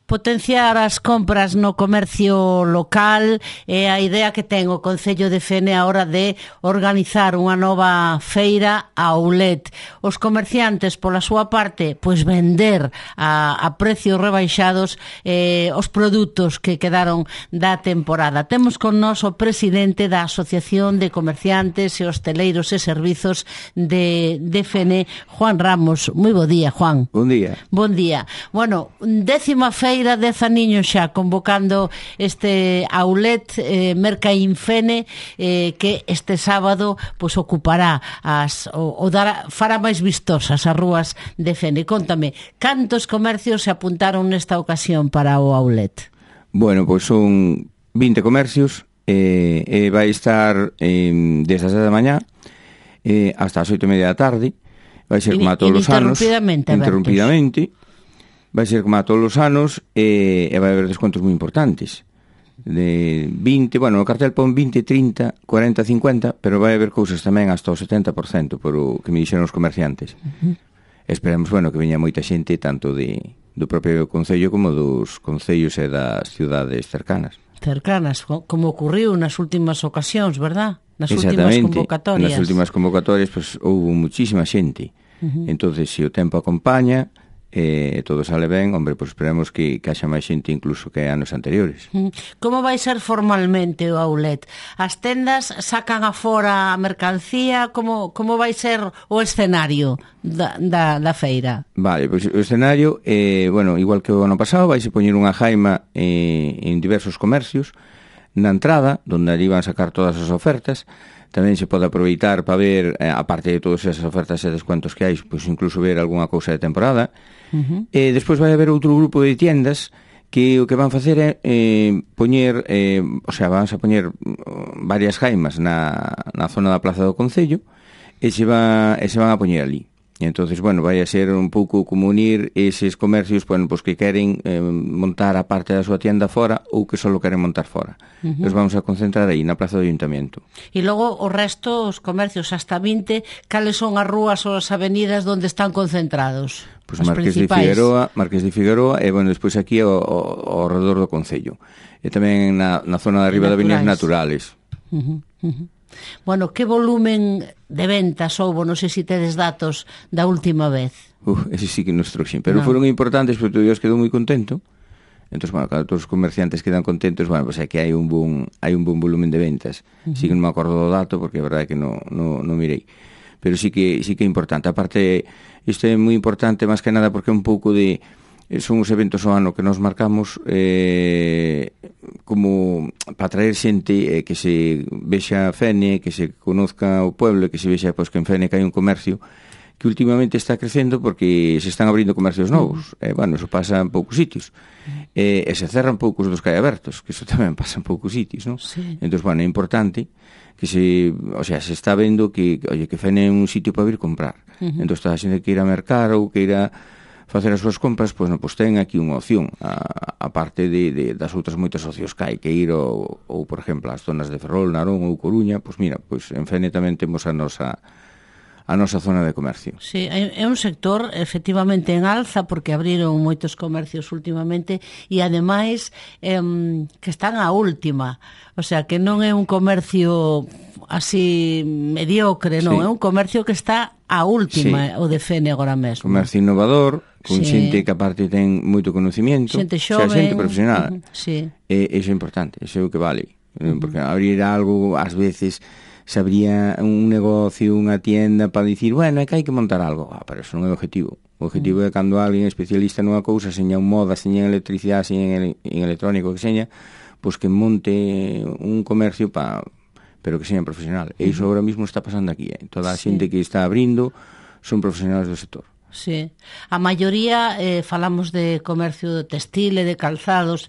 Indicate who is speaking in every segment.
Speaker 1: Potenciar as compras no comercio local é a idea que ten o Concello de Fene a hora de organizar unha nova feira outlet. Os comerciantes, pola súa parte, pois vender a precios rebaixados os produtos que quedaron da temporada. Temos con nós o presidente da Asociación de Comerciantes e Hosteleiros e Servizos de Fene, Juan Ramos. Moi bo día, Juan.
Speaker 2: Bon día.
Speaker 1: Bon día. Bueno, 10ª feira, 10 aniños xa convocando este outlet Mercaín Fene, que este sábado pois ocupará fará máis vistosas as rúas de Fene. Contame, cantos comercios se apuntaron nesta ocasión para o outlet?
Speaker 2: Bueno, pois son 20 comercios, vai estar desde as 10 da mañá hasta as 8:30 da tarde. Vai ser como a todos os anos, interrumpidamente. Vai ser como a todos os anos e vai haber descontos moi importantes. De 20, bueno, no cartel pon 20, 30, 40, 50, pero vai haber cousas tamén hasta o 70% por o que me dixeron os comerciantes. Esperemos, bueno, que veña moita xente tanto do propio concello como dos concellos e das cidades cercanas.
Speaker 1: Cercanas, como ocurriu nas últimas ocasións, verdad? Nas últimas convocatorias.
Speaker 2: Nas últimas convocatorias, pues, houve muchísima xente. Entonces, se o tempo acompaña, todo sale ben, hombre, pues esperemos que haxa máis xente incluso que anos anteriores.
Speaker 1: Como vai ser formalmente o outlet? As tendas sacan afora a mercancía? Como vai ser o escenario da feira?
Speaker 2: Vale, pois o escenario, bueno, igual que o ano pasado, vai se poñer unha jaima en diversos comercios na entrada, donde ali van sacar todas as ofertas. Tamén se pode aproveitar para ver, aparte de todas esas ofertas e descuentos que hai, pois incluso ver algunha cousa de temporada. Despois vai haber outro grupo de tiendas que o que van facer é poñer, van a poñer varias jaimas na zona da Plaza do Concello e se van a poñer ali. E entonces, bueno, vai a ser un pouco como unir eses comercios, bueno, pues que queren montar a parte da súa tienda fora ou que só queren montar fora. Nos vamos a concentrar aí, na Plaza do Ayuntamiento.
Speaker 1: E logo o resto, os comercios hasta 20, cales son as rúas ou as avenidas onde están concentrados?
Speaker 2: Pois Marqués de Figueroa e, bueno, despois aquí ao redor do Concello. E tamén na zona de arriba de Avenidas Naturales.
Speaker 1: Bueno, que volumen de ventas houbo? Non sei se tedes datos da última vez.
Speaker 2: Ese sí que nos trouxen, pero foron importantes porque Dios quedou moi contento. Entón, bueno, cada todos os comerciantes quedan contentos, bueno, pues é que hai un bon volumen de ventas. Sí que non me acordo do dato porque é verdade que non mirei. Pero sí que é importante. Aparte, isto é moi importante máis que nada porque é un pouco de... son os eventos ao ano que nos marcamos como para traer xente que se vexa Fene, que se conozca o pueblo, que se vexa pois, que en Fene que hai un comercio que últimamente está crecendo porque se están abrindo comercios novos. Bueno, eso pasa en poucos sitios. E se cerran poucos dos que hai abertos, que eso tamén pasa en poucos sitios, non?
Speaker 1: Sí.
Speaker 2: Entón, bueno, é importante que se está vendo que Fene é un sitio para vir comprar. Entón, toda a xente que ir a mercar ou que ir a facer as súas compras, pois ten aquí unha opción, a parte das outras moitas opcións que hai, que ir ou por exemplo, as zonas de Ferrol, Narón ou Coruña, pois mira, pois en Fene tamén temos a nosa zona de comercio.
Speaker 1: Sí, é un sector efectivamente en alza porque abriron moitos comercios últimamente e ademais que están á última, o sea que non é un comercio así mediocre, non, é un comercio que está á última, o de Fene agora mesmo.
Speaker 2: Comercio innovador, con xente que aparte ten moito conocimiento,
Speaker 1: xente xoven,
Speaker 2: xente profesional.
Speaker 1: Sí.
Speaker 2: Iso é importante, iso é o que vale, porque abrir algo ás veces se abría un negocio, unha tienda para dicir, bueno, é que hai que montar algo. Pero eso non é o objetivo. O objetivo é cando alguén especialista nunha cousa, seña en moda, seña en electricidade, seña en electrónico, que seña, pois que monte un comercio pero que seña profesional. E iso agora mesmo está pasando aquí. Toda a xente que está abrindo son profesionales do sector.
Speaker 1: Sí. A maioría falamos de comercio textil e de calzados,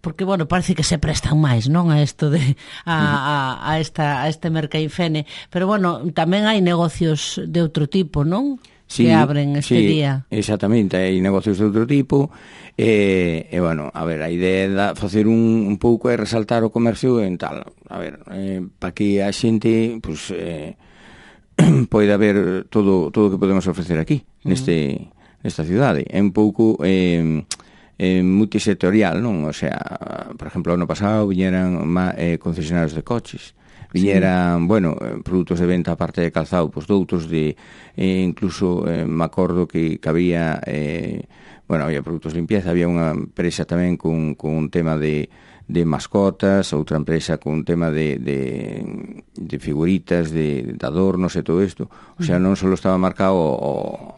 Speaker 1: porque, bueno, parece que se prestan máis, non, a isto de a este Mercaín Fene, pero, bueno, tamén hai negocios de outro tipo, non?
Speaker 2: Sí,
Speaker 1: que abren este día.
Speaker 2: Exactamente, hai negocios de outro tipo e bueno, a ver, a idea é facer un pouco é resaltar o comercio en tal, a ver, para que a xente poida ver todo o que podemos ofrecer aquí, neste nesta cidade. É un pouco multisectorial, non? O sea, por exemplo, ano pasado viñeran concesionarios de coches, viñeran, bueno, produtos de venta aparte de calzado, pois doutros de incluso me acordo que había bueno, había produtos de limpieza, había unha empresa tamén con un tema de mascotas, outra empresa con un tema de figuritas, de adornos e todo isto. O sea, non só estaba marcado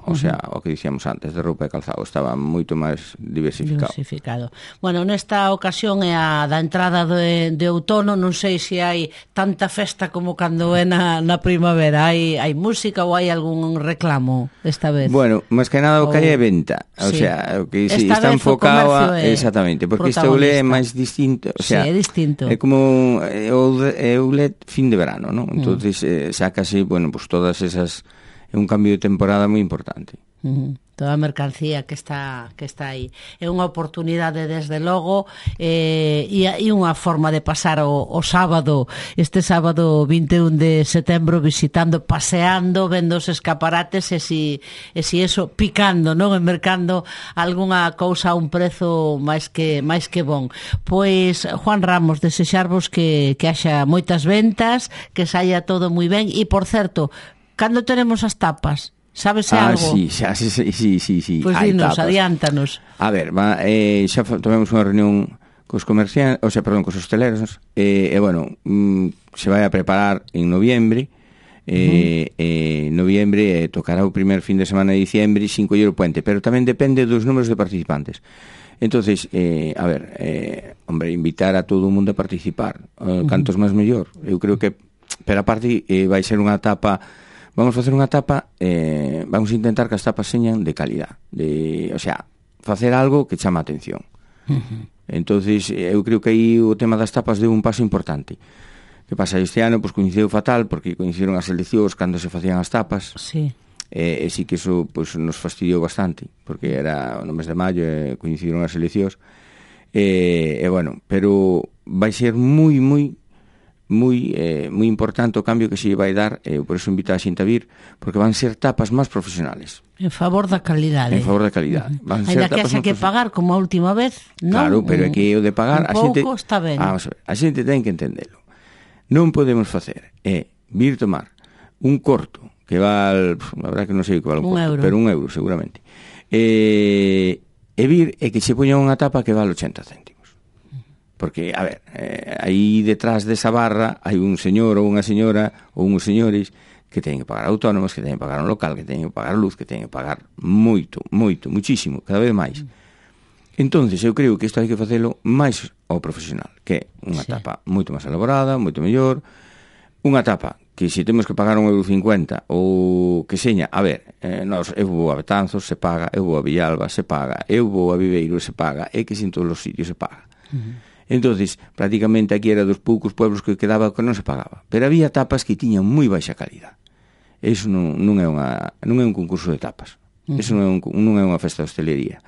Speaker 2: o sea, o que dicíamos antes de roupa e calzado, estaba moito máis diversificado.
Speaker 1: Bueno, nesta ocasión é a da entrada de outono, non sei se hai tanta festa como cando é na primavera. Hai música ou hai algún reclamo esta vez?
Speaker 2: Bueno, máis que nada o que hai é venta, o sea, o que está enfocado exactamente, porque isto é máis distinto, o sea,
Speaker 1: sí, é distinto.
Speaker 2: É como outlet fin de verano, ¿no? Entonces sácase, bueno, pues todas esas, é un cambio de temporada moi importante.
Speaker 1: Toda a mercancía que está aí. É unha oportunidade, desde logo, e unha forma de pasar o sábado, este sábado 21 de setembro, visitando, paseando, vendo os escaparates e si eso, picando, non? E mercando algunha cousa a un prezo máis que bon. Pois, Juan Ramos, desexarvos que haxa moitas ventas, que saia todo moi ben, e, por certo, cando teremos as tapas? Sabese algo?
Speaker 2: Sí.
Speaker 1: Pois dinos, adiántanos.
Speaker 2: A ver, xa tomemos unha reunión cos comerciantes, o sea, perdón, cos hosteleros, e bueno, se vai a preparar en noviembre, noviembre tocará o primer fin de semana de diciembre, 5 o puente, pero tamén depende dos números de participantes. Entonces, a ver, hombre, invitar a todo o mundo a participar, cantos máis mellor. Eu creo que, pero aparte, vai ser unha etapa. Vamos facer unha tapa, vamos a intentar que as tapas señan de calidad, o sea, facer algo que chama a atención. Entonces, eu creo que aí o tema das tapas deu un paso importante. Que pasa, este ano, pois, coincidiu fatal, porque coincidiron as eleccións cando se facían as tapas,
Speaker 1: sí.
Speaker 2: E sí que iso, pois, nos fastidiou bastante, porque era no mes de maio, coincidiron as eleccións, e bueno, pero vai ser moi importante o cambio que se vai dar, por eso invito a xente a vir, porque van ser tapas máis profesionales.
Speaker 1: En favor da calidade.
Speaker 2: En favor da calidade.
Speaker 1: Ainda que haxa que pagar como a última vez, non?
Speaker 2: Claro, pero é que o de pagar,
Speaker 1: a xente está ben.
Speaker 2: Vamos a ver, a xente ten que entendelo. Non podemos facer vir tomar un corto que val, a verdade que non sei que val un corto, pero €1 seguramente. E vir e que se poña unha tapa que val 80 céntimos. Porque, a ver, aí detrás desa barra hai un señor ou unha señora ou uns señores que teñen que pagar autónomos, que teñen que pagar un local, que teñen que pagar luz, que teñen que pagar muchísimo, cada vez máis. Entonces, eu creo que isto hai que facelo máis ao profesional, que é unha tapa moito máis elaborada, moito mellor, unha tapa que se temos que pagar €1,50 ou que seña, a ver, eu vou a Betanzos, se paga, eu vou a Villalba, se paga, eu vou a Viveiro, se paga, é que en todos os sitios se paga. Entonces, prácticamente aquí era dos poucos pueblos que quedaba que non se pagaba, pero había tapas que tiñan moi baixa calidad. Eso non é un concurso de tapas. Eso non é unha festa de hostelería.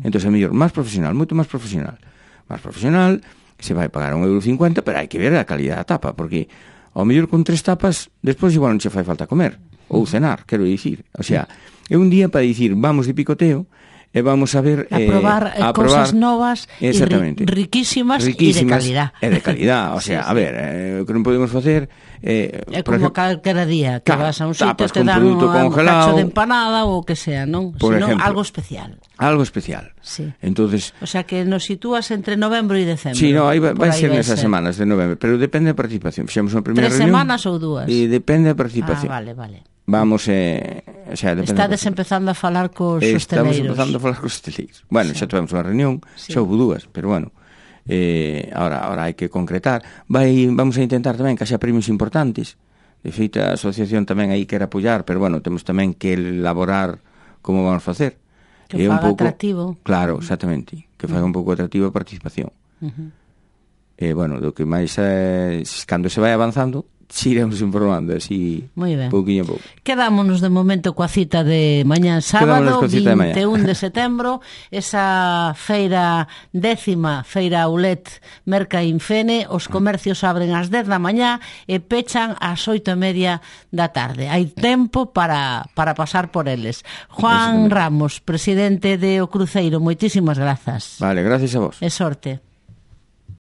Speaker 2: Entonces, a mellor, máis profesional, moito máis profesional. Máis profesional, que se vai pagar €1,50, pero hai que ver a calidad da tapa, porque ao mellor con 3 tapas, despois igual non che fai falta comer ou cenar, quero dicir. O sea, é un día para dicir, vamos de picoteo, e vamos a ver
Speaker 1: a probar cousas novas e riquísimas e de calidad.
Speaker 2: E de calidad, o sea, a ver, o que non podemos facer
Speaker 1: é como calquera día que vas a un sitio te dan un cacho de empanada ou o que sea, non? Senón algo especial.
Speaker 2: Algo especial.
Speaker 1: Sí.
Speaker 2: Entonces,
Speaker 1: o sea que nos sitúas entre novembro e decembro.
Speaker 2: Sí, no, aí vai ser nesas semanas de novembro, pero depende da participación. Fixemos unha primeira reunión.
Speaker 1: 3 semanas ou 2?
Speaker 2: E depende da participación.
Speaker 1: Vale.
Speaker 2: Vamos, o sea,
Speaker 1: estades empezando a falar cos hosteleiros.
Speaker 2: Estamos empezando a falar cos hosteleiros. Bueno, xa tivemos unha reunión, xa houve 2, pero bueno, ahora hai que concretar. Vamos a intentar tamén que haxa premios importantes. De feito, a asociación tamén aí quer apoiar, pero bueno, temos tamén que elaborar como vamos facer.
Speaker 1: Que faga atractivo.
Speaker 2: Claro, exactamente, que faga un pouco atractivo a participación. Bueno, do que máis cando se vai avanzando, iremos informando así pouquinho a pouco.
Speaker 1: Quedámonos de momento coa cita de mañán sábado, 21 de setembro, esa feira 10ª Feira Aulet Merca Infene. Os comercios abren ás 10 da mañá e pechan ás 8:30 da tarde. Hai tempo para pasar por eles. Juan Ramos, presidente de O Cruceiro, moitísimas grazas.
Speaker 2: Vale, gracias a vos.
Speaker 1: E sorte.